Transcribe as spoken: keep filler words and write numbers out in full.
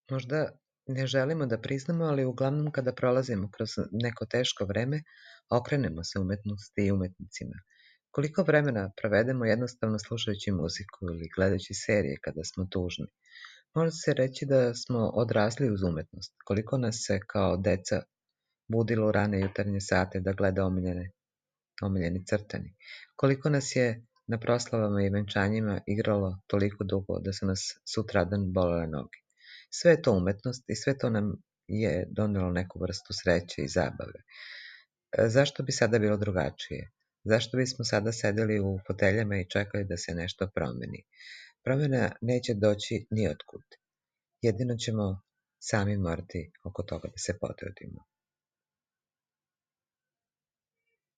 Možda ne želimo da priznamo, ali uglavnom kada prolazimo kroz neko teško vreme, okrenemo se umetnosti i umetnicima. Koliko vremena provedemo jednostavno slušajući muziku ili gledajući serije kada smo tužni? Može se reći da smo odrasli uz umetnost. Koliko nas se kao deca budilo u rane jutarnje sate da gleda omiljene, omiljeni crtani. Koliko nas je na proslavama i venčanjima igralo toliko dugo da su nas sutradan bolele noge. Sve je to umetnost i sve to nam je donelo neku vrstu sreće i zabave. E, Zašto bi sada bilo drugačije? Zašto bismo sada sedeli u foteljama i čekali da se nešto promeni? Promjena neće doći ni otkud. Jedino ćemo sami morati oko toga da se potrudimo.